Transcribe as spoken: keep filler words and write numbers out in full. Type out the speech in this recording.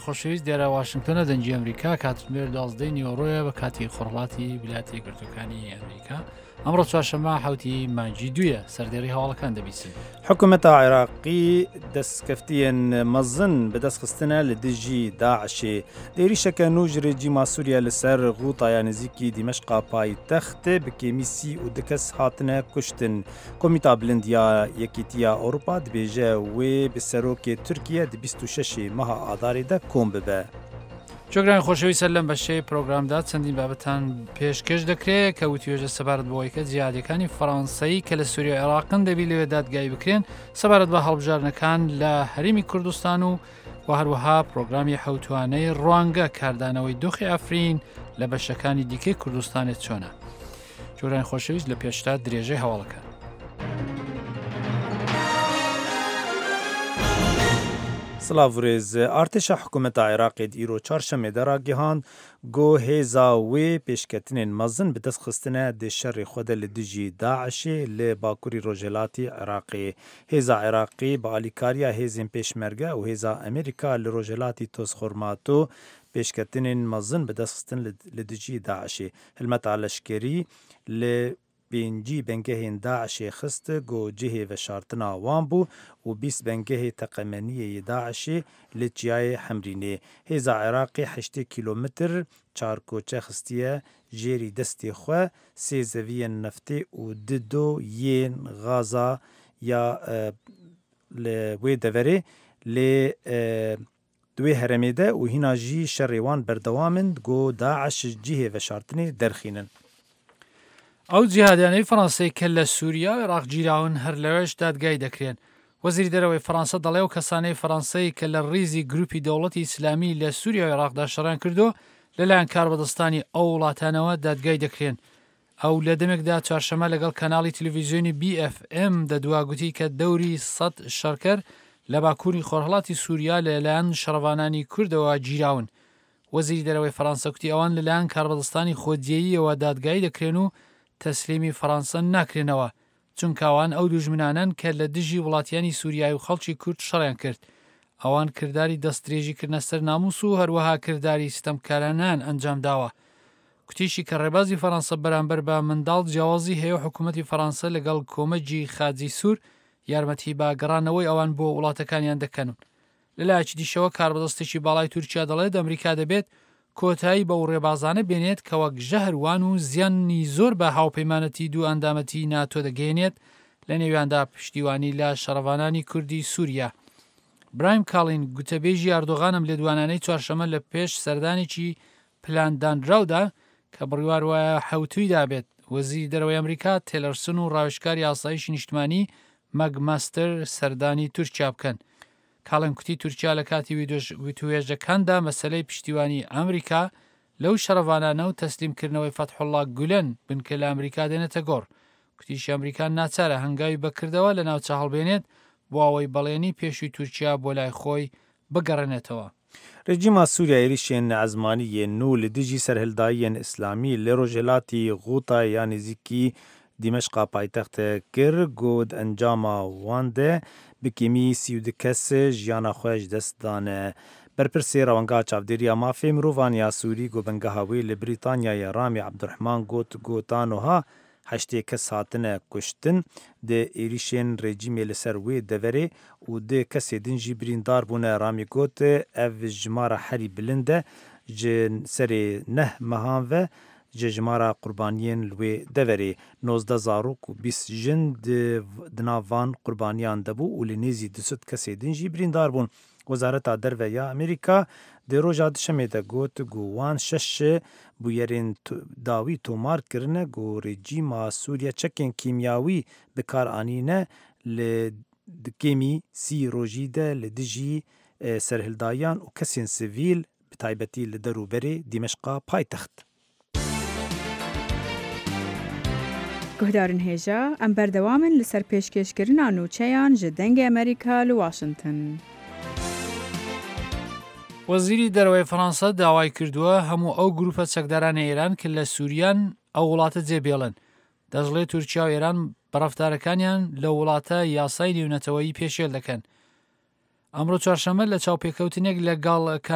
خۆشەویست، دیارە واشنگتۆنە، دەنگی ئەمریکا، کاتژمێر دوازدەی نیوەڕۆیە بە کاتی خۆرهەڵاتی ویلایەتە یەکگرتووەکانی ئەمریکا. ئەمڕۆ چوارشەممە حەوتی مانگی دوویە. سەردێڕی هەواڵەکان دەبیسن. حکوومەتا عێراقی دەستکەفتیەن مەزن بەدەستخستنە لە دژی داعشێ. êrîşeke nû ji rejîma Sûriye li ser Ğûtaya nêzîkî Dîmeşqa paytext bi kêmî sî û du kes hatine kuştin. Komîta Bilind ya Yekîtiya Ewropa dibêje wê bi serokê Tirkiye di bîst û şeşê meha Adarê de kom bibe. چۆگران خۆشەویست، سەر لەم بەشەی پرۆگرامدا چەندین بابەتان پێشکەش دەکرێت کە وتوێژە سەبارەت بەوەی کە جیهادیەکانی فەڕەنسایی کە لە سووریا و عێراقن دەبی لەوێ دادگایی بکرێن، سەبارەت بە هەڵبژاردنەکان لە هەرێمی کوردستان و و هەروەها پرۆگرامی حەوتوانەی ڕوانگە کاردانەوەی دۆخی ئەفرین لە بەشەکانی دیکەی کوردستانێت چۆنە. جۆران خۆشەویست، لە پێشتا درێژەی هەواڵەکان. سڵاو ڕێز. Artêşa hikûmeta Iraqê di îro çarşemê de ragihand ku hêza wê pêşketinên mezin bi dest xistine di şerê xwe de li dijî DAIŞê li Bakurî Rojhilatî Iraqê. Hêza Iraqî bi alîkariya hêzên Pêşmerge û hêza Amerîka li Rojhilatî Tozxurmato pêşketinên mezin bi dest xistin li dijî DAIŞê. Hilmeta leşkerî li pêncî bengehên DAIŞê xist ku cihê veşartina wan bû û bîst bengehê teqemeniyê yê DAIŞê li Çiyayê Hemrînê. Hêza Iraqê heştê kîlometr çarkoçe xistiye jêrî destê xwe, sê zeviyên neftê û du do yên xaza ya li wê deverê lê di wê herêmê de û hîna jî şerê wan berdewam in ku DAIŞ cihê veşartinê derxînin. ئەو جیهادیانەی فەڕەنسەی کە لە سووریا و عێراق گیراون هەر لەوێش دادگای دەکرێن. وەزیری دەرەوەی فەڕەنسا دەڵێ ئەو کەسانەی فەڕەنسەی کە لە ڕیزی گروپی دەوڵەتی ئیسلامی لە سووریا و عێراقدا شەڕیان کردو لەلایەن کاربەدەستانی ئەو وڵاتانەوە دادگای دەکرێن. ئەو لە دەمێکدا چوارشەممە لەگەڵ کەناڵی تەلەڤیزیۆنی بی ئێف ئێم دەدوا گوتی کە دەوری سەد شەڕکەر لە باکووری خۆرهەڵاتی سووریا لەلایەن شەڕڤانانی کوردەوە گیراون. وەزیری دەرەوەی فەڕەنسا گوتی ئەوان لەلایەن کاربەدەستانی خۆجێییەوە دادگایی دەکرێن و تەسلیمی فەڕەنسا ناکرێنەوە، چونکە ئەوان ئەو دوژمنانەن کە لە دژی وڵاتیانی سووریای و خەڵکی کورد شەڕیان کرد. ئەوان کرداری دەستدرێژیکردنە سەر ناموس و هەروەها کرداری ستەمکارانان ئەنجام داوە. کوتیشی کە ڕێبازی فەڕەنسا بەرامبەر بە منداڵ جیاوازی هەیە و حکوومەتی فەڕەنسا لەگەڵ کۆمەجی خاجی سوور یارمەتی بە گەڕانەوەی ئەوان بۆ وڵاتەکانیان دەکەن. لەلایەکی دیشەوە کاربەدەستێکی باڵای تورکیا دەڵێت ئەمریکا دەبێت کۆتایی بەو ڕێبازانە بێنێت کە وەک ژەهروان و زیانی زۆر بە هاوپەیمانەتی دوو ئەندامەتی ناتۆ دەگەیەنێت، لە نێویاندا پشتیوانی لە شەڕڤانانی کوردی سووریا. برایم کاڵین گوتەبێژی ئەردۆغانم لێدوانانەی چوارشەممە لە پێش سەردانێکی پلاندانراودا کە بڕیار وایە حەوتوویدا بێت وەزیری دەرەوەی ئەمریکا تێلەرسن و ڕاوێژکاری ئاسایشی نیشتمانی مەگماستەر سەردانی تورکیا بکەن. کاڵن کوتی تورکیا لە کاتی وتوێژەکاندا مەسەلەی پشتیوانی ئەمریکا لەو شەڕڤانانە و تەسلیمکردنەوەی فەتحوڵڵا گولەن بنکە لە ئەمریکا دێنێتە گۆڕ. کوتیشی ئەمریکا ناچارە هەنگاوی بەکردەوە لە ناوچە هەڵبێنێت بۆ ئەوەی بەڵێنی پێشووی تورکیا بۆ لای خۆی بگەڕێنێتەوە. Rejîma Sûriye êrîşên ezmanî yên nû li dijî serhildayiyên Îslamî li Rojhilatî Ğûtayê ya nêzîkî Dîmeşqa paytext kir ku di encama wan de bi kêmî sî û du kes jiyana xwe ji dest dane. Berpirsê Rewangeha Çavdêriya Mafê Mirovan ya Sûrî ku bingeha wê li Brîtanyayê Ramî Ebdurehman got ku ta niha heştê kes hatine kuştin di êrîşên rejîmê li ser wê deverê û du kesê din jî birîndar bûne. Ramî got ev jimara herî bilind e ji serê neh mehan ve ji jimara qurbaniyên li wê deverê. Nozdeh zarok û bîst jin di nav van qurbaniyan de bû û li nêzî du sed kesê din jî birîndar bûn. Wezareta Derve ya Amerîka di roja duşemê de got ku wan şeş bûyerên dawî tomar kirine ku rejîma Sûriye çekên kîmyawî bi kar anîne li kêmî sî rojî de li dijî serhildayan û kesên sivîl bi taybetî li derûberê Dîmeşqa paytext. Guhdarên hêja, em berdewam in li ser pêşkêşkirina nûçeyan ji Dengê Amerîka li Washington. وەزیری دەرەوەی فەڕەنسا داوای کردووە هەموو ئەو گروپە چەکدارانە ئێران کە لە سووریان ئەو وڵاتە جێبێڵن. دەشڵێ تورکیا و ئێران بە ڕەفتارەکانیان لە وڵاتە یاسای نێونەتەوەیی پێشێل دەکەن. ئەمڕۆ چوارشەممە لە چاوپێکەوتنێک لەگەڵ کەناڵ